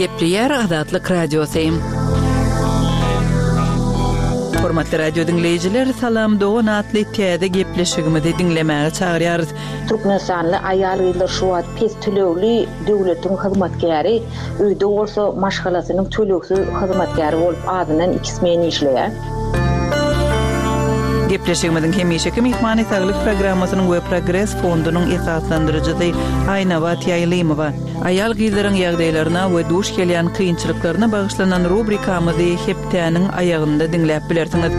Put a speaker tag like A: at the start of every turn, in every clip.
A: Gepleýär Azatlyk Radiosy. Hormatly radio diňleýjiler, Salam dogan atly täze gepleşigimizi diňlemäge çagyrýarys.
B: Türkmenistanly aýal-gyzlar şu wagt pes tölegli döwletiň hyzmatkäri, öýde bolsa maşgalasynyň tölegsiz hyzmatkäri bolup azyndan iki smen işleýär.
A: Gepleşigimiziň hemişeki myhmany Saglyk programmasynyň we Progres fondunyň esaslandyryjysy Aýnabat Ýaýlymowa. Aýal-gyzlaryň ýagdaýlaryna we duş gelýän kynçylyklaryna bagyşlanan rubrikamyzy hepdäniň aýagynda diňläp bilersiňiz.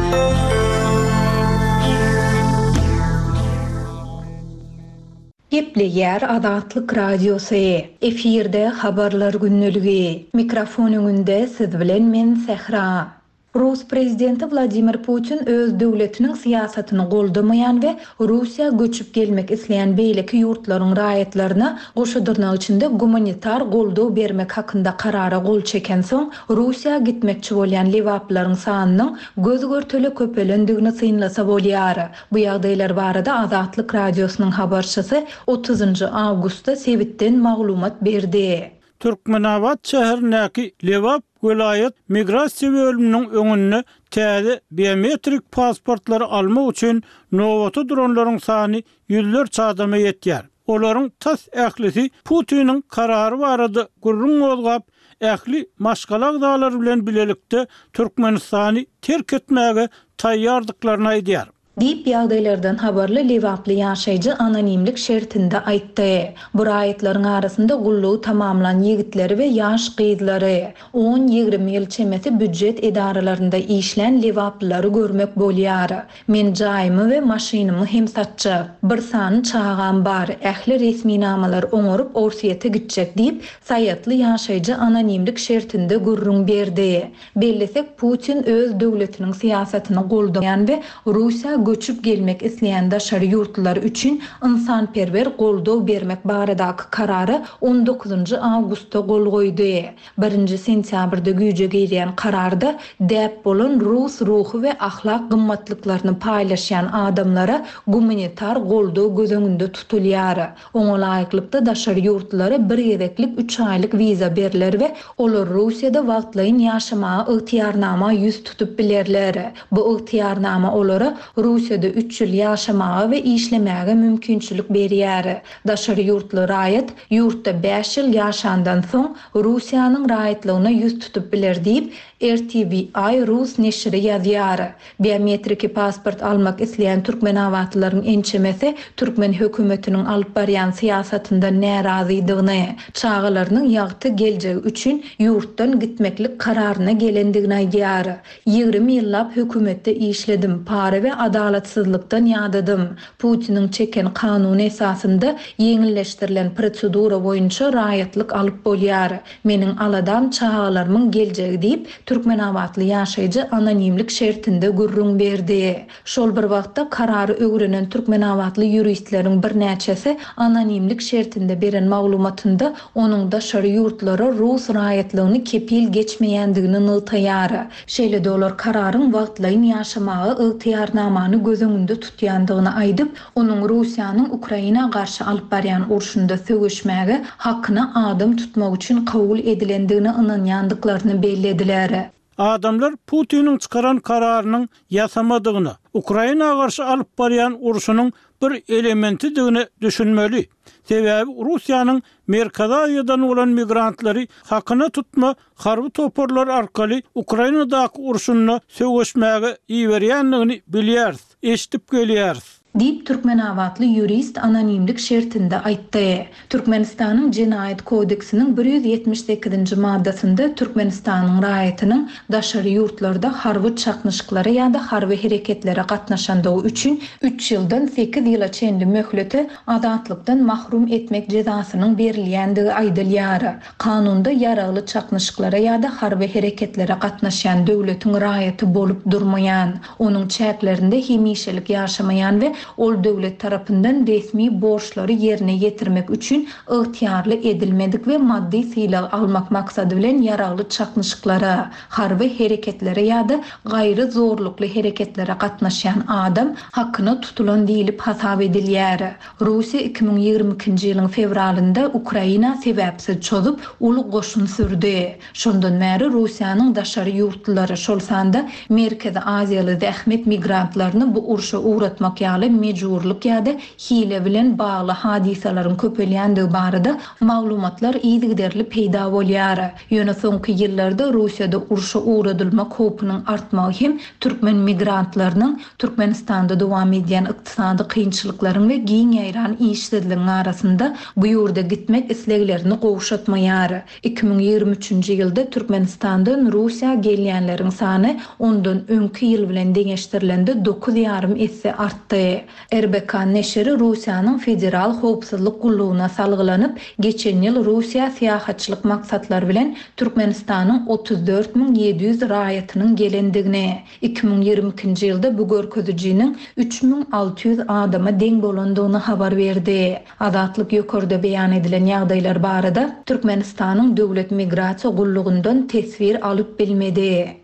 C: Gepleýär Azatlyk Radiosy, efirde Habarlar gündeligi. Mikrofon öňünde siz bilen men Sähra. Rus prezidenti Wladimir Putin öz döwletiniň syýasatyny goldamaýan we Russiýa göçüp gelmek isleýän beýleki ýurtlaryň raýatlaryna goşa dyrnak içinde gumanitar goldaw bermek hakynda karara gol çekensoň, Russiýa gitmekçi bolýan lebaplylaryň sanynyň göz-görtele köpelendigini synlasa bolýar. Bu ýagdaýlar barada Azatlyk Radiosynyň habarçysy otuzynjy awgustda sebitden maglumat berdi.
D: Türkmenabat şäherindäki Lebap welaýat migrasiýa bölüminiň öňünde täze biometrik pasportlary almak üçin nobata duranlaryň sany ýüzlerçe adama ýetýär. Olaryň tas ählisi Putiniň karary barada gürrüň gozgap, ähli maşgala agzalary bilen bilelikde Türkmenistany terk etmäge taýýardyklaryny aýdýar.
C: Diýip, ýagdaýlardan habarly lebaply ýaşaýjy anonimlik şertinde aýtdy. Bu raýatlaryň arasynda gullugy tamamlan ýigitleri we ýaş gyzlary, on-ýigrimi ýyl çemesi býujet edaralarynda işlän lebaplylary görmek bolýar. Men jaýymy we maşynymy hem satjak. Bir sany çagam bar, ähli resminamalary oňaryp Orsýete gitjek diýip, saýatly ýaşaýjy anonimlik şertinde gürrüň berdi. Bellesek, Putin öz döwletiniň syýasatyny goldaýan we Russiýa göçüp gelmek isleýän daşary ýurtlular üçin ynsanperwer goldaw bermek baradaky karara on dokuzynjy awgustda gol goýdy. Birinji sentýabrda güýje girýän kararda däp bolan rus ruhy we ahlak gymmatlyklaryny paýlaşýan adamlara gumanitar goldaw göz öňünde tutulýar. Oňa laýyklykda, daşary ýurtlulara bir gezeklik üç aýlyk wiza berler we olar Russiýada wagtlaýyn ýaşamaga ygtyýarnama ýüz tutup bilerler. Bu ygtyýarnama olara Russiýada üç ýyl ýaşamaga we işlemäge mümkinçilik berýär. Daşary ýurtly raýat ýurtda bäş ýyl ýaşandan soň, Russiýanyň raýatlygyna ýüz tutup biler diýip, RTVI rus neşiri ýazýar. Biometriki pasport almak isleýän türkmenabatlylaryň ençemesi türkmen hökümetiniň alyp barýan syýasatyndan närazydygyny, çagalarynyň ýagty geljegi üçin ýurtdan gitmeklik kararyna gelendigini aýdýar. 20 ýyllap hökümetde işledim, para we adalatsyzlykdan ýadadym. Putiniň çeken kanuny esasynda ýeňilleşdirilen prosedura boýunça raýatlyk alyp bolýar. Meniň aladam çagalarymyň geljegi diýip, türkmenabatly ýaşaýjy anonimlik şertinde gürrüň berdi. Şol bir wagtda, karary öwrenen türkmenabatly ýuristleriň birnäçesi anonimlik şertinde beren maglumatynda onuň daşary ýurtlara rus raýatlygyny kepil geçmeýändigini nygtaýar. Şeýle-de olar kararyň wagtlaýyn ýaşamaga ygtyýarnamany göz öňünde tutýandygyny aýdyp, Onuň Russiýanyň Ukraina garşy alyp barýan urşunda söweşmäge hakyna adam tutmak üçin kabul edilendigine ynanýandyklaryny bellediler.
D: Adamlar Putiniň çykaran kararynyň ýasamadygyna, Ukraina garşy alyp barýan urşunyň bir elementidigine düşünmeli. Sebäbi Russiýanyň Merkezi Aziýadan bolan migrantlary hakyna tutma harby toparlar arkaly Ukrainadaky urşunda söweşmäge iberýändigini bilýäris, eşidip gelýäris.
C: Diýip, türkmenabatly ýurist anonimlik şertinde aýtdy. Türkmenistanyň Jenaýat kodeksiniň 178-nji maddasynda Türkmenistanyň raýatynyň daşary ýurtlarda harby çaknyşyklara ýa-da harby hereketlere gatnaşandygy üçin üç ýyldan sekiz ýyla çenli möhlete azatlykdan mahrum etmek jezasynyň berilýändigi aýdylýar. Kanunda ýaragly çaknyşyklara ýa-da harby hereketlere gatnaşýan döwletiň raýaty bolup durmaýan, onuň çäklerinde hemişelik ýaşamaýan we. Ol döwlet tarapyndan resmi borçlary ýerine ýetirmek üçin ygtyýarly edilmedik we maddy sylag almak maksady bilen ýaragly çaknyşyklara, harby hereketlere ýa-da gaýry zorlukly hereketlere gatnaşýan adam hakyna tutulan diýlip hasap edilýär. Russiýa 2022-nji ýylyň fewralynda Ukraina sebäpsiz çozup, uly goşun sürdi. Şondan bäri Russiýanyň daşary ýurtlulary, şol sanda Merkezi Aziýaly zähmet migrantlaryny bu urşa ugratmak ýaly mejburlyk ýa-da hile bilen bagly hadysalaryň köpelýändigi barada maglumatlar yzygiderli peýda bolýar. Ýöne soňky ýyllarda Russiýada urşa ugradylmak howpunyň artmagy hem türkmen migrantlarynyň Türkmenistanda dowam edýän ykdysady kynçylyklaryň we giň ýaýran işsizligiň arasynda bu ýurda gitmek isleglerini gowşatmaýar. 2023-nji ýylda Türkmenistandan Russiýa gelýänleriň sany ondan öňki ýyl bilen deňeşdirilende dokuz ýarym esse artdy. RBK neşiri Russiýanyň Federal howpsuzlyk gullugyna salgylanyp, geçen ýyl Russiýa syýahatçylyk maksatlary bilen Türkmenistanyň 34 700 raýatynyň gelendigini, 2022-nji ýylda bu görkezijiniň 3600 adama deň bolandygyny habar berdi. Azatlyk ýokarda beýan edilen ýagdaýlar barada Türkmenistanyň Döwlet migrasiýa gullugyndan teswir alyp bilmedi.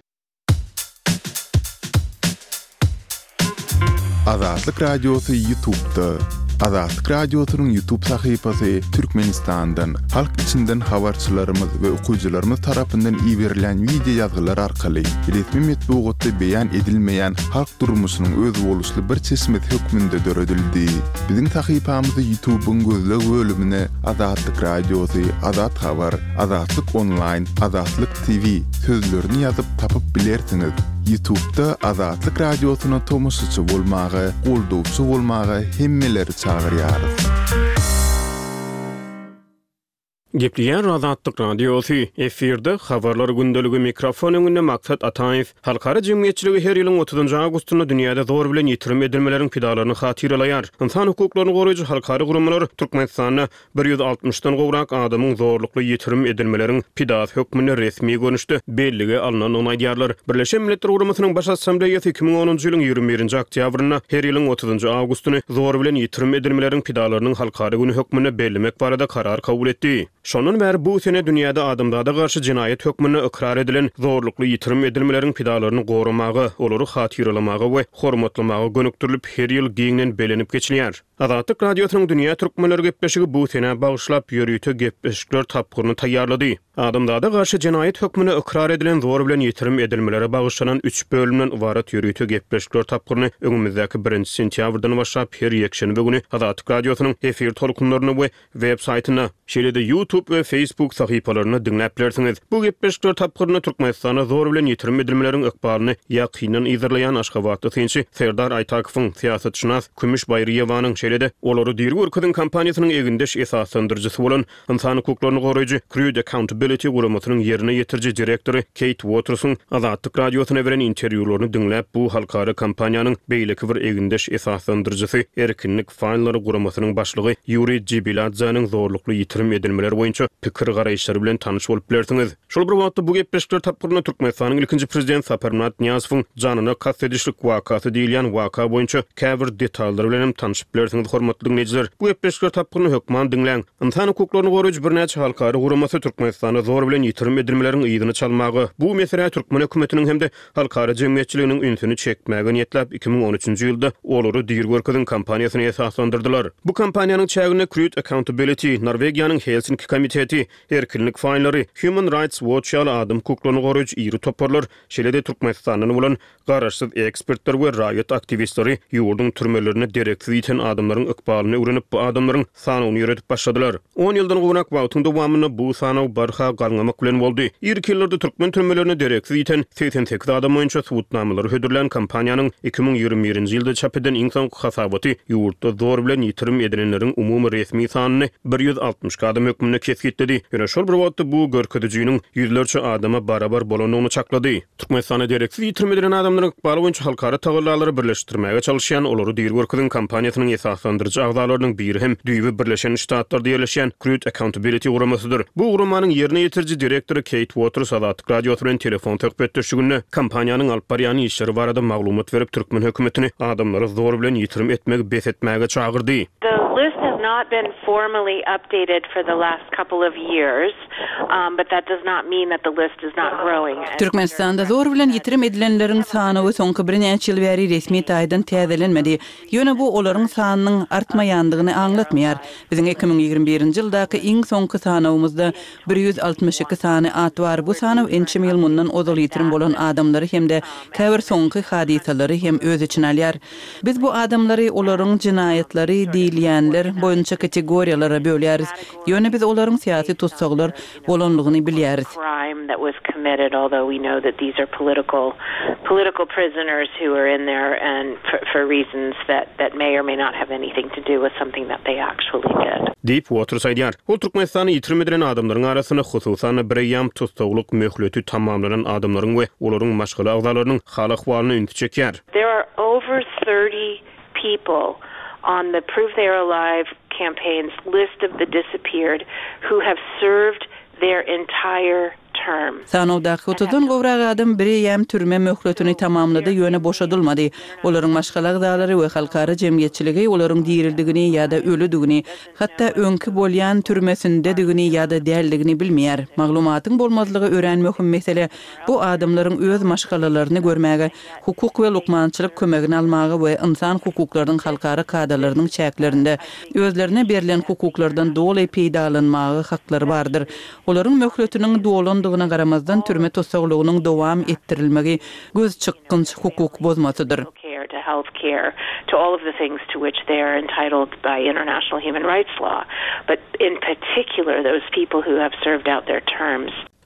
E: Azatlyk Radiosy Ýutubda. Azatlyk Radiosynyň Ýutub sahypasy Türkmenistandan, halk içinden habarçylarymyz we okyjylarymyz tarapyndan iberilen wideo ýazgylar arkaly resmi metbugatda beýan edilmeýän halk durmuşynyň özboluşly bir çeşmesi hökmünde döredildi. Biziň sahypamyzy Ýutubyň gözleg bölümine Azatlyk Radiosy, Azat Habar, Azatlyk Onlaýn, Azatlyk TV sözlerini ýazyp tapyp bilersiňiz. Ýutubda Azatlyk Radiosyna tomaşaçy bolmaga, goldawçy bolmaga hemmeleri çagyrýarys.
F: Gepleýär Azatlyk Radiosy, efirde Habarlar gündeligi, mikrofon öňünde Maksat Ataýew. Halkara jemgyýetçiligi her ýylyň otuzynjy awgustynda dünýäde zor bilen ýitirim edilmeleriň pidalaryny hatyralaýar. Ynsan hukuklaryny goraýjy halkara guramalar Türkmenistanda bir ýüz altmyşdan gowrak adamyň zorlukly ýitirim edilmeleriň pidasy hökmünde resmi görnüşde bellige alnandygyny aýdýarlar. Birleşen Milletler Guramasynyň Baş Assambleýasy 2010-njy ýylyň 21-nji oktýabrynda her ýylyň otuzynjy awgustyny zor bilen ýitirim edilmeleriň pidalarynyň halkara güni hökmünde bellemek barada karar kabul etdi. Şondan bäri bu sene dünýäde adamzada garşy jenaýat hökmünde ykrar edilen zorlukly ýitirim edilmeleriň pidalaryny goramaga, olary hatyralamaga we hormatlamaga gönükdirilip, her ýyl giňden bellenip geçilýär. Azatlyk Radiosynyň Dünýä türkmenleri gepleşigi bu senä bagyşlap ýörite gepleşikler tapgyryny taýýarlady. Adamzada garşy jenaýat hökmünde ykrar edilen zor bilen ýitirim edilmelere bagyşlanan üç bölümden ybarat ýörite gepleşikler tapgyryny öňümizdäki birinji sentýabrdan başlap her ýekşenbe güni Azatlyk Radiosynyň efir tolkunlarynda we web saýtynda, şeýle-de YouTube we Facebook sahypalarynda diňläp bilersiňiz. Bu gepleşikler tapgyrynda Türkmenistanda zor bilen ýitirim edilmeleriň ykbalyny ýakyndan yzarlaýan aşgabatly synçy Serdar Aýtakowyň, syýasatşynas Kümüş Baýryýewanyň, şeýle-de Olary diri görkeziň kampaniýasynyň egindeş esaslandyryjysy bolan ynsan hukuklaryny goraýjy Crude Accountability guramasynyň ýerine ýetiriji direktory Keýt Uotersiň Azatlyk Radiosyna beren interwýularyny diňläp, bu halkara kampaniýanyň beýleki bir egindeş esaslandyryjysy Erkinlik faýllary guramasynyň başlygy Ýuriý Jibiladzäniň zorlukly ýitirim edilmeler boýunça pikir-garaýyşlary bilen tanyş bolup bilersiňiz. Şol bir wagtda bu gepleşikler tapgyrynda Türkmenistanyň ilkinji prezidenti Saparmyrat Nyýazowyň janyna kast edişlik wakasy diýilýän waka boýunça käbir detallar bilen hem tanşyp bilersiňiz hormatly diňleýjiler. Bu gepleşikler tapgyryny hökman diňläň. Ynsan hukuklaryny goraýjy birnäçe halkara guramasy Türkmenistanda zor bilen ýitirim edilmeleriň yzyny çalmaga, bu meselä türkmen hökümetiniň hem-de halkara jemgyýetçiliginiň ünsüni çekmäge niýetläp, 2013-nji ýylda Olary diri görkeziň kampaniýasyny esaslandyrdylar. Bu kampaniýanyň çäginde Crude Accountability, Norwegiýanyň Helsinki komiteti, Erkinlik faýllary, Human Rights Watch ýaly adam hukuklaryny goraýjy iri toparlar, şeýle-de Türkmenistandan bolan garaşsyz ekspertler we raýat aktiwistleri ýurduň türmelerinde dereksiz ýiten adamlaryň ykbalyny öwrenip, bu adamlaryň sanawyny ýöredip başladylar. On ýyldan gowrak wagtyň dowamynda bu sanaw barha galňamak bilen boldy. Irki ýyllarda türkmen türmelerinde dereksiz ýiten 88 adam boýunça subutnamalary hödürlän kampaniýanyň 2021-nji ýylda çap eden iň soňky hasabaty ýurtda zor bilen ýitirim edilenleriň umumy resmi sanyny 162 adam hökmünde kesgitledi. Ýöne şol bir wagtda bu görkezijiniň ýüzlerçe adama barabar bolandygyny çaklady. Türkmenistanda dereksiz ýitirim edilen adamlaryň ykbaly boýunça halkara tagallalary birleşdirmäge çalyşýan Olary diri görkeziň kampaniýasynyň esasy. esaslandyryjy agzalarynyň biri hem düýbi Birleşen Ştatlarda ýerleşýän Crude Accountability guramasydyr. Bu guramanyň ýerine ýetiriji direktory Keýt Uoters Azatlyk Radiosy bilen telefon söhbetdeşliginde kompaniýanyň alyp barýan işleri barada maglumat berip, türkmen hökümetini adamlary zor bilen ýitirim etmegi bes etmäge çagyrdy.
G: The list has not been formally updated for the last couple of years, but that does not mean that the list is not growing.
A: Türkmenistanda zor bilen ýitirim edilenleriň sanawy soňky birnäçe ýyl bäri resmi taýdan täzelenmedi. Ýöne bu olaryň sanynyň artmaýandygyny aňlatmaýar. Biziň 2021-nji ýyldaky iň soňky sanawymyzda 162 sany at bar. Bu sanaw ençeme ýyl mundan ozal ýitirim bolan adamlary hem-de käbir soňky hadysalary hem öz içine alýar. Biz bu adamlary olaryň jenaýatlary diýilýänler boýunça kategoriýalara bölýäris. Ýöne biz olaryň syýasy tussaglar bolanlygyny bilýäris.
F: Diýip, Uoters aýdýar. Ol Türkmenistanda ýitirim edilen adamlaryň arasynda, hususan-da, bireýýäm tussaglyk möhleti tamamlanan adamlaryň we olaryň maşgala agzalarynyň hal-ahwalyna ünsi çekýär.
G: There are over 30 people on the Prove They Are Alive campaign's list of the disappeared who have served their entire term.
A: Sanawdaky otuzdan gowrak adam bireýýäm türme möhletini tamamlady, ýöne boşadylmady. Olaryň maşgala agzalary we halkara jemgyýetçiligi olaryň diridigini ýa-da ölüdigini, hatda öňki bolýan türmesindedigini ýa-da däldigini bilmeýär. Maglumatyň bolmazlygy örän möhüm mesele. Bu adamlaryň öz maşgalalaryny görmäge, hukuk we lukmançylyk kömegini almaga we ynsan hukuklarynyň halkara kadalarynyň çäklerinde özlerine berlen hukuklardan doly peýdalanmaga haklary bardyr. Olaryň möhletiniň dolandygyna garamazdan türme tussaglygynyň dowam etdirilmegi gözçykgynç hukuk bozmasydyr.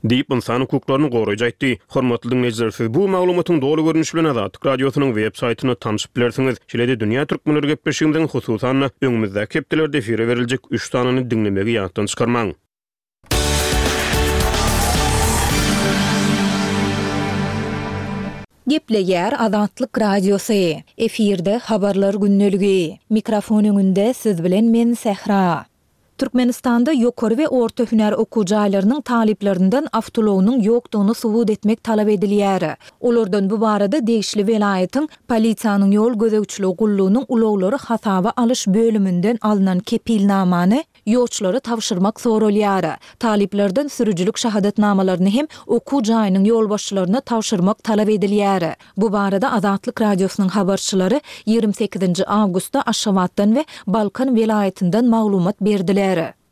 F: Diýip, ynsan hukuklaryny goraýjy aýtdy. Hormatly diňleýjiler, siz bu maglumatyň doly görnüşi bilen Azatlyk Radiosynyň web saýtynda tanşyp bilersiňiz. Şeýle-de Dünýä Türkmenleri gepleşigimiziň, hususan-da, öňümizdäki hepdelerde efire beriljek üç sanyny diňlemegi ýatdan çykarmaň.
C: Gepleýär Azatlyk Radiosy. Efirde Habarlar gündeligi. Mikrofon öňünde siz bilen men Sähra. Türkmenistanda ýokary we orta hünär okuw jaýlarynyň talyplaryndan awtoulagynyň ýokdugyny subut etmek talap edilýär. Olardan bu barada degişli welaýatyň Polisiýanyň ýol gözegçiligi gullugynyň ulaglary hasaba alyş bölüminden alnan kepilnamany ýolçulara tabşyrmak soralýar. Talyplardan sürüjilik şahadatnamalaryny hem okuw jaýynyň ýolbaşçylaryna tabşyrmak talap edilýär. Bu barada Azatlyk Radiosynyň habarçylary 28-nji awgustda Aşgabatdan we Balkan welaýatyndan maglumat berdiler.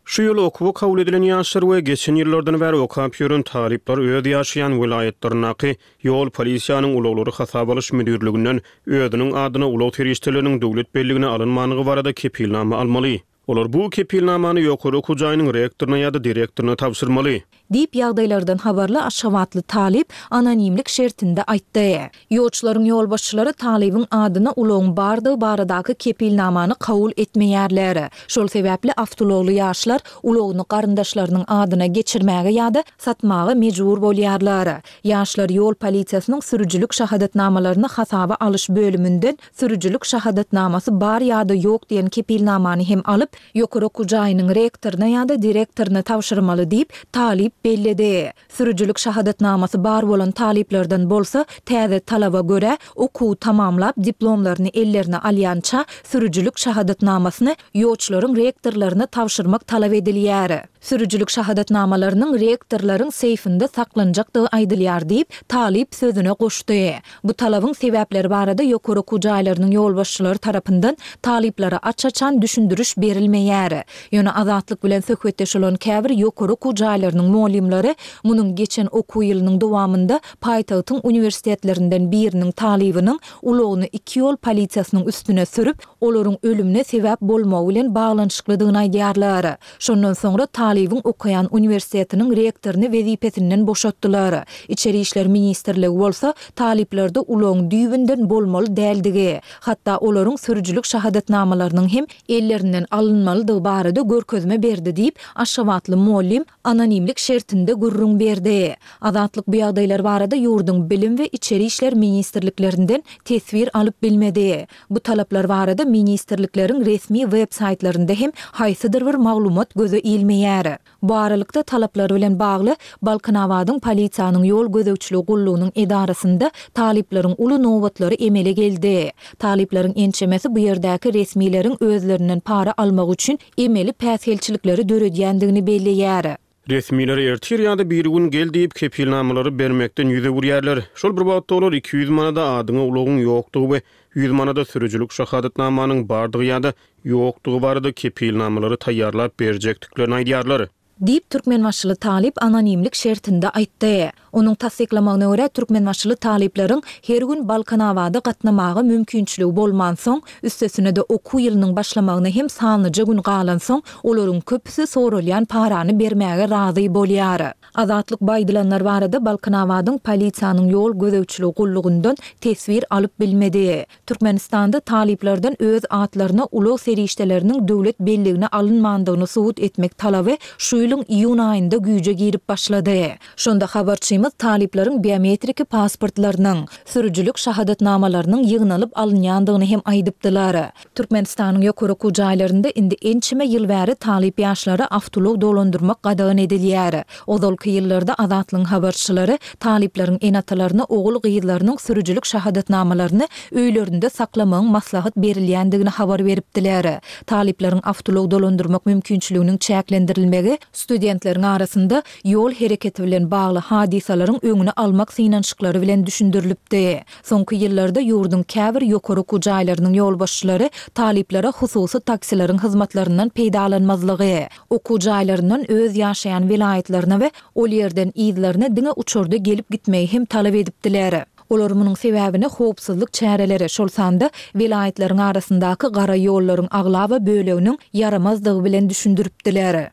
F: Şu ýyl okuwa kabul edilen ýaşlar we geçen ýyllardan bäri okap ýören talyplar öz ýaşaýan welaýatlaryndaky ýol polisiýanyň ulaglary hasaba alyş müdirliginden özüniň adyna ulag serişdeleriniň döwlet belligine alynmandygy barada kepilnama almaly. Olar bu kepilnamany ýokary okuw jaýynyň rektoryna ýa-da direktoryna tabşyrmaly.
C: Diýip, ýagdaýlardan habarly aşgabatly talyp anonimlik şertinde aýtdy. Ýolçularyň ýolbaşçylary talybyň adyna ulagyň bardygy baradaky kepilnamany kabul etmeýärler. Şol sebäpli awtoulagly ýaşlar ulagyny garyndaşlarynyň adyna geçirmäge ýa-da satmaga mejbur bolýarlar. Ýaşlar ýol polisiýasynyň sürüjilik şahadatnamalaryny hasaba alyş bölüminden sürüjilik şahadatnamasy bar ýa-da ýok diýen kepilnamany hem alyp, ýokary okuw jaýynyň rektoryna ýa-da direktoryna tabşyrmaly diýip, talyp belledi. Sürüjilik şahadatnamasy bar bolan talyplardan bolsa, täze talaba görä, okuwy tamamlap, diplomlaryny ellerine alýança, sürüjilik şahadatnamasyny ýoçlaryň rektorlaryna tabşyrmak talap edilýär. Sürüjilik şahadatnamalarynyň rektorlaryň seýfinde saklanjakdygy aýdylýar diýip, talyp sözüne goşdy. Bu talabyň sebäpleri barada ýokary okuw jaýlarynyň ýolbaşçylary tarapyndan talyplara aç-açan düşündiriş berilmeýär. Ýöne Azatlyk bilen söhbetdeş bolan käbir ýokary okuw jaýlarynyň mugallymlary munuň geçen okuw ýylynyň dowamynda paýtagtyň uniwersitetlerinden biriniň talybynyň ulagyny iki ýol polisiýasynyň üstüne sürüp, olaryň ölümine sebäp bolmagy bilen baglanyşyklydygyny aýdýarlar. Şondan soňra talybyň okaýan uniwersitetiniň rektoryny wezipesinden boşatdylar. Içeri işler ministrligi bolsa talyplarda ulagyň düýbünden bolmaly däldigi, hatda olaryň sürüjilik şahadatnamalarynyň hem ellerinden alynmalydygy. alynmalydygy barada görkezme berdi diýip, aşgabatly mugallym anonimlik şertinde gürrüň berdi. Azatlyk bu ýagdaýlar barada ýurduň Bilim we Içeri işler ministrliklerinden teswir alyp bilmedi. Bu talaplar barada ministrlikleriň resmi web saýtlarynda hem haýsydyr bir maglumat göze ilmeýär. Bu aralykda, talaplar bilen bagly Balkanabadyň polisiýanyň ýol gözegçiligi gullugynyň edarasynda talyplaryň uly nobatlary emele geldi. Talyplaryň ençemesi bu ýerdäki resmileriň özlerinden para almak üçin emeli päsgelçilikleri döredýändigini belleýär.
F: Resmiler ertir ýa-da birigün gel diýip, kepilnamalary bermekden ýüz öwürýärler. Şol bir wagtda olar 200 manada adyňa ulagyň ýokdugy we 100 manada sürüjilik şahadatnamanyň bardygy ýa-da ýokdugy barada kepilnamalary taýýarlap berjekdiklerini aýdýarlar.
C: Diýip, türkmenbaşyly talyp anonimlik şertinde aýtdy. Onuň tassyklamagyna görä, türkmenbaşyly talyplaryň her gün Balkanabada gatnamaga mümkinçiligi bolmansoň, üstesine-de okuw ýylynyň başlamagyna hem sanlyja gün galansoň, olaryň köpüsi soralýan parany bermäge razy bolýar. Azatlyk bu aýdylanlar barada Balkanabadyň polisiýanyň ýol gözegçiligi gullugyndan teswir alyp bilmedi. Türkmenistanda talyplardan öz atlaryna ulag serişdeleriniň döwlet belligine alynmandygyny subut etmek talaby şu ýylyň iýun aýynda güýje girip başlady. Şonda habarçymyz talyplaryň biometriki pasportlarynyň, sürüjilik şahadatnamalarynyň ýygnalyp alynýandygyny hem aýdypdylar. Türkmenistanyň ýokary okuw jaýlarynda indi ençeme ýyl bäri talyp ýaşlara awtoulag dolandyrmak gadagan edilýär. Ozalky ýyllarda Azatlygyň habarçylary talyplaryň ene-atalaryna ogul-gyzlarynyň sürüjilik şahadatnamalaryny öýlerinde saklamagyň maslahat berilýändigini habar beripdiler. Talyplaryň awtoulag dolandyrmak mümkinçiliginiň çäklendirilmegi studentleriň arasynda ýol hereketi bilen bagly hadysalaryň öňüni almak synanyşyklary bilen düşündirilipdi. Soňky ýyllarda ýurduň käbir ýokary okuw jaýlarynyň ýolbaşçylary talyplara hususy taksileriň hyzmatlaryndan peýdalanmazlygy, okuw jaýlaryndan öz ýaşaýan welaýatlaryna we ol ýerden yzlaryna diňe uçarda gelip gitmegi hem talap edipdiler. Olar munuň sebäbini howpsuzlyk çäreleri, şol sanda welaýatlaryň arasyndaky gara ýollaryň aglaba böleginiň ýaramazdygy bilen düşündiripdiler.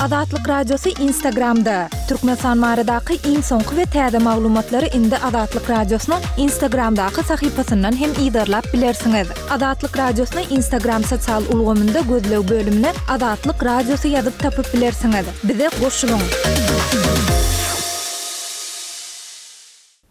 C: Azatlyk Radiosy Instagramda, Türkmenistan baradaky iň soňky we täze maglumatlary indi Azatlyk Radiosynyň Instagramdaky sahypasyndan hem yzarlap bilersiňiz. Azatlyk Radiosyny Instagram sosial ulgamynda gözleg bölümine Azatlyk Radiosy ýazyp tapyp bilersiňiz. Bize goşulyň!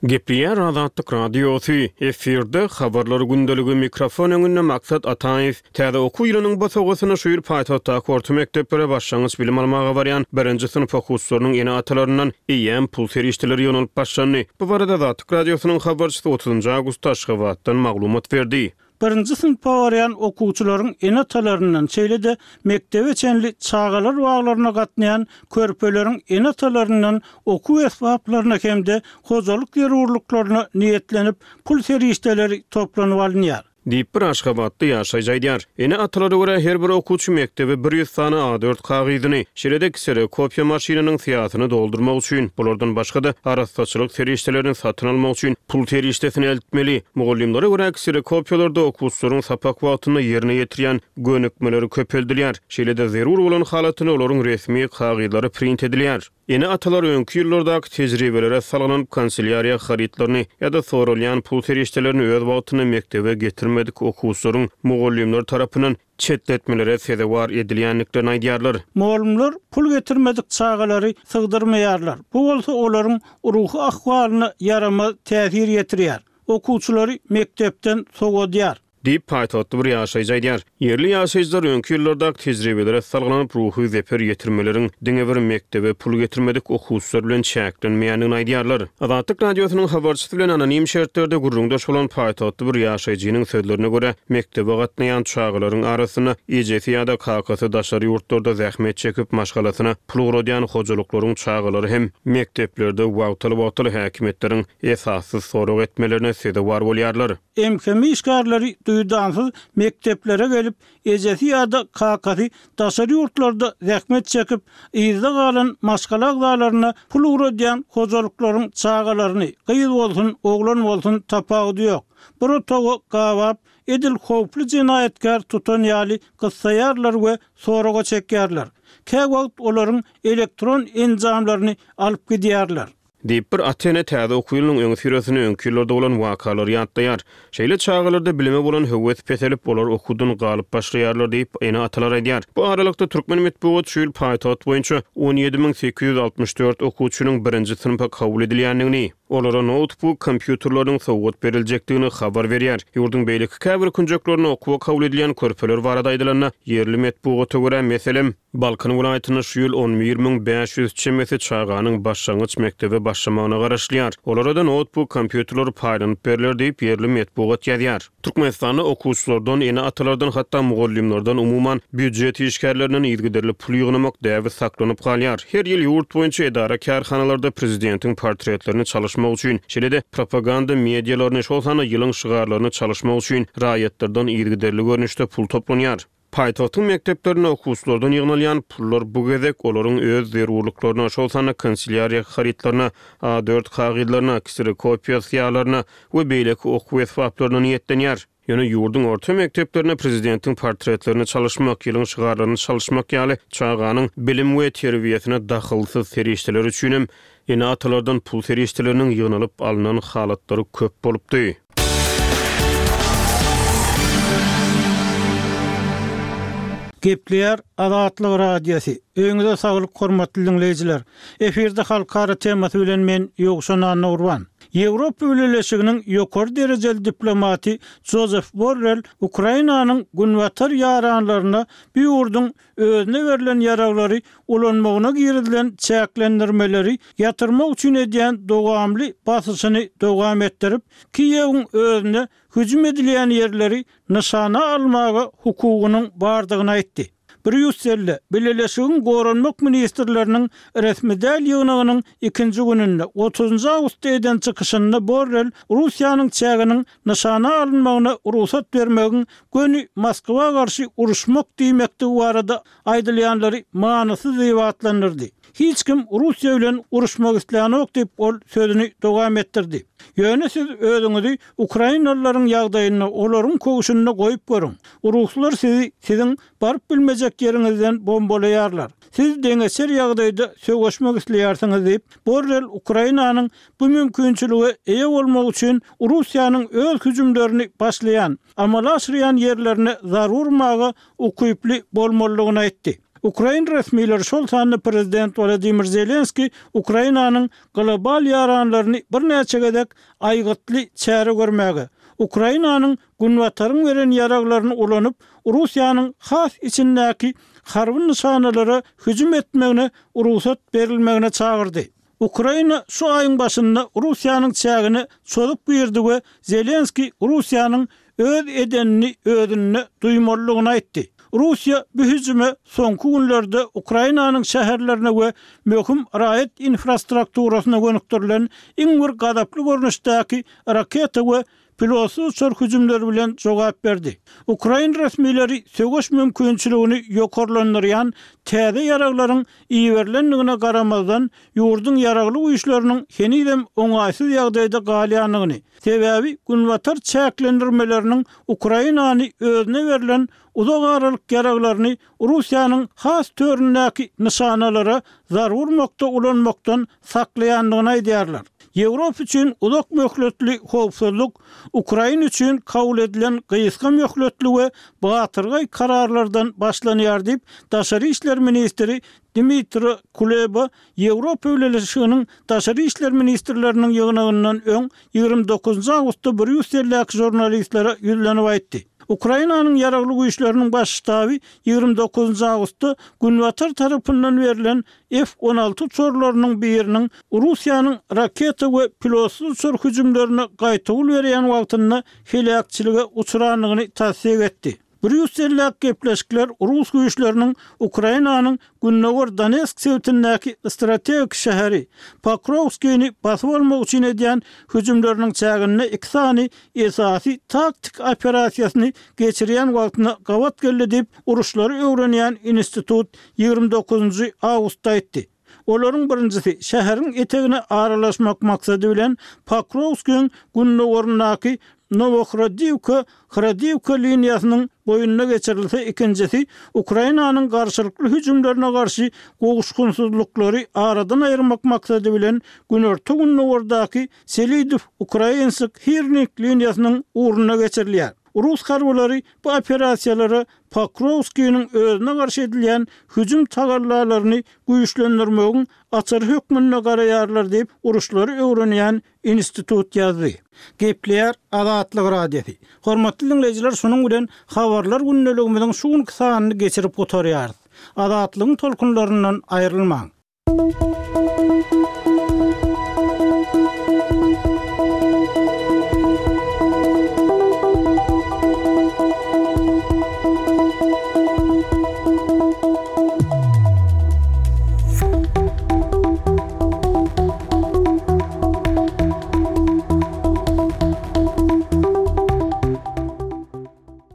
F: Gepleýär Azatlyk Radiosy, efirde Habarlar gündeligi, mikrofon öňünde Maksat Ataýew. Täze okuw ýylynyň bosagasynda şu ýyl paýtagtdaky orta mekdeplere başlangyç bilim almaga barýan birinji synp okuwçylarynyň ene-atalaryndan eýýäm pul serişdeleri ýygnalyp başlandy. Bu barada Azatlyk Radiosynyň habarçysy otuzynjy awgustda Aşgabatdan maglumat berdi.
D: Birinji synpa barýan okuwçylaryň ene-atalaryndan, şeýle-de mekdebe çenli çagalar baglaryna gatnaýan körpeleriň ene-atalaryndan okuw esbaplaryna hem-de hojalyk zerurlyklaryna niýetlenip pul serişdeleri toplanyp alynýar.
F: Diýip, bir aşgabatly ýaşaýjy aýdýar. Ene-atalara görä, her bir okuwçy mekdebe 100 sany A dört kagyzyny, şeýle-de kserokopiýa maşynynyň syýasyny doldurmak üçin, bulardan başga-da, arassaçylyk serişdelerini satyn almak üçin pul serişdesini eltmeli. Mugallymlara görä, kserokopiýalarda okuwçylaryň sapak wagtynda ýerine ýetirýän gönükmeleri köpeldilýär. Şeýle-de, zerur bolan halatynda olaryň resmi kagyzlary print edilýär. Ene-atalar öňki ýyllardaky tejribelere salgylanyp, kanselýariýa harytlaryny ýa-da soralýan pul serişdelerini öz wagtynda mekdebe getirmedik okuwçylaryň mugallymlar tarapyndan çetletmelere sezewar edilýändiklerini aýdýarlar.
D: Mugallymlar pul getirmedik çagalary sygdyrmaýarlar. Bu bolsa olaryň ruhy ahwalyna ýaramaz täsir ýetirýär. Okuwçylary mekdepden sowadýar.
F: Diýip, paýtagtly bir ýaşaýjy aýdýar. Ýerli ýaşaýjylar öňki ýyllardaky tejribelere salgylanyp, ruhy zeper ýetirmeleriň diňe bir mekdebe pul getirmedik okuwçylar bilen çäklenmeýändigini aýdýarlar. Azatlyk Radiosynyň habarçysy bilen anonim şertlerde gürrüňdeş bolan paýtagtly bir ýaşaýjynyň sözlerine görä, mekdebe gatnaýan çagalaryň arasynda ejesi ýa-da kakasy daşary ýurtlarda zähmet çekip, maşgalasyna pul ugradýan hojalyklaryň çagalary hem mekdeplerde wagtal-wagtal häkimiýetleriň esassyz sorag etmelerine sezewar bolýarlar.
D: MHM işgärleri duýdansyz mekdeplere gelip, ejesi ýa-da kakasy daşary ýurtlarda zähmet çekip, yzda galan maşgala agzalaryna pul ugradýan hojalyklaryň çagalaryny, gyz bolsun, oglan bolsun, tapawudy ýok, bir otaga gabap, edil howply jenaýatkär tutan ýaly gyssaýarlar we soraga çekýärler. Käwagt olaryň elektron enjamlaryny alyp gidýärler.
F: Diýip, bir ata-ene täze okuw ýylynyň öňüsyrasynda öňki ýyllarda bolan wakalary ýatlaýar. Şeýle çagalarda bilime bolan höwes peselip, olar okuwdan galyp başlaýarlar diýip, ene-atalar aýdýar. Bu aralykda, türkmen metbugaty şu ýyl paýtagt boýunça 17 864 okuwçynyň birinji synpa kabul edilýändigini, olara noutbuk kompýuterleriniň sowgat beriljekdigini habar berýär. Ýurduň beýleki käbir künjeklerinde okuwa kabul edilýän körpeler barada aýdylanda, ýerli metbugata görä, meselem, Balkan welaýatynda şu ýyl 11 500 çemesi çaganyň başlangyç mekdebe başlamagyna garaşylýar. Olara-da noutbuk kompýuterler paýlanyp berler diýip, ýerli metbugat ýazýar. Türkmenistanda okuwçylardan, ene-atalardan, hatda mugallymlardan, umuman, býujet işgärlerinden yzygiderli pul ýygnamak däbi saklanyp galýar. Her ýyl ýurt boýunça edara-kärhanalarda prezidentiň portretlerini çalyşmak üçin, şeýle-de propaganda medialaryny, şol sanda ýylyň şygarlaryny çalyşmak üçin raýatlardan yzygiderli görnüşde pul toplanýar. Paýtagtyň mekdeplerinde okuwçylardan ýygnalýan pullar bu gezek olaryň öz zerurlyklaryna, şol sanda kanselýariýa harytlaryna, A dört kagyzlaryna, kserokopiýa syýalaryna we beýleki okuw esbaplaryna niýetlenýär. Ýöne ýurduň orta mekdeplerinde prezidentiň portretlerini çalyşmak, ýylyň şygarlaryny çalyşmak ýaly çaganyň bilim we terbiýesine dahylsyz serişdeler üçinem ene-atalardan pul serişdeleriniň ýygnalyp alnan halatlary köp bolupdy.
D: Gepleýär Azatlyk Radiosy. Öýüňize saglyk hormatly diňleýjiler. Efirde halkara temasy bilen men Ýowşan Annagurban. Ýewropa Bileleşiginiň ýokary derejeli diplomaty Jozef Borrell Ukrainanyň günbatar ýaranlaryna bu ýurduň özüne berlen ýaraglary ulanmagyna girizilen çäklendirmeleri ýatyrmak üçin edýän dowamly basyşyny dowam etdirip, Kiýewiň özüne hüjüm edilýän ýerleri nyşana almaga hukugynyň bardygyny aýtdy. Brýusselde Bileleşigiň goranmak ministrleriniň resmi däl ýygnagynyň ikinji gününde, otuzynjy awgustda eden çykyşynda Borrel Russiýanyň çäginiň nyşana alynmagyna rugsat bermegiň göni Moskwa garşy uruşmak diýmekdigi barada aýdylýanlary manysyz diýip atlandyrdy. Hiç kim Russiýa bilen uruşmak islänok diýip, ol sözüni dowam etdirdi. Ýöne siz özüňizi ukrainalylaryň ýagdaýynda, olaryň köwşünde goýup görüň. Ruslar sizi siziň baryp bilmejek ýeriňizden bombalaýarlar. Siz deňeçer ýagdaýda söweşmek isleýärsiňiz diýip, Borrel Ukrainanyň bu mümkinçilige eýe bolmak üçin Russiýanyň öz hüjümlerini başlaýan, amala aşyrýan ýerlerine zarba urmaga ukyply bolmalydygyny aýtdy. Ukrain resmileri, şol sanda prezident Wolodymyr Zelenskiý Ukrainanyň global ýaranlaryny birnäçe gezek aýgytly çäre görmäge, Ukrainanyň Günbataryň beren ýaraglaryny ulanyp, Russiýanyň has içindäki harby nyşanalara hüjüm etmegine rugsat berilmegine çagyrdy. Ukraina şu aýyň başynda Russiýanyň çägine çozup girdi we Zelenskiý Russiýanyň öz edenini özünde duýmalydygyny aýtdy. Russiýa bu hüjüme soňky günlerde Ukrainanyň şäherlerine we möhüm raýat infrastrukturasyna gönükdirilen iň bir gazaply görnüşdäki raketa we Pilotsyz uçar hüjümleri bilen jogap berdi. Ukrain resmileri söweş mümkinçiligini ýokarlandyrýan täze ýaraglaryň iberilendigine garamazdan, ýurduň ýaragly güýçleriniň henizem oňaýsyz ýagdaýda galýandygyny, sebäbi Günbatar çäklendirmeleriniň Ukrainany özüne berlen uzak aralyk ýaraglaryny Russiýanyň has töründäki nyşanalara zarba urmakda ulanmakdan saklaýandygyny aýdýarlar. Ýewropa üçin uzak möhletli howpsuzlyk Ukraina üçin kabul edilen gysga möhletli we batyrgaý kararlardan başlanýar diýip, daşary işler ministri Dmitro Kuleba Ýewropa Bileleşiginiň daşary işler ministrleriniň ýygnagyndan öň 29 awgustda Brýusseldäki žurnalistlere ýüzlenip aýtdy. Ukrainanyň Ýaragly Güýçleriniň Baş ştaby 29 awgustda Günbatar tarapyndan berlen F-on alty uçarlarynyň biriniň Russiýanyň raketa we pilotsyz uçar hüjümlerine gaýtawul berýän wagtynda heläkçilige uçrandygyny tassyk etdi. Brýusseldäki gepleşikler rus güýçleriniň Ukrainanyň gündogar Donetsk sebitindäki strategik şäheri Pokrowskini basyp almak üçin edýän hüjümleriniň çäginde iki sany esasy taktik operasiýasyny geçirýän wagtyna gabat geldi diýip, uruşlary öwrenýän institut 29-njy awgustda aýtdy. Olaryň birinjisi, şäheriň etegine aralaşmak maksady bilen Pokrowskiň gündogaryndaky. Nowohrodiwka, Hrodiwka liniýasynyň boýunda geçirilse, ikinjisi Ukrainanyň garşylykly hüjümlerine garşy gowuşgynsyzlyklary aradan aýyrmak maksady bilen günorta-gündogardaky Selidow-Ukrainsk Hirnik liniýasynyň ugrunda geçirilýär. Rus harbylary bu operasiýalara Pokrowskiniň özüne garşy edilýän hüjüm tagallalaryny güýçlendirmegiň açary hökmünde garaýarlar diýip, uruşlary öwrenýän institut ýazdy. Gepleýär Azatlyk Radiosy. Hormatly diňleýjiler şunuň bilen Habarlar gündeligimiziň şu günki sanyny geçirip gutarýarys. Azatlygyň tolkunlaryndan aýrylmaň.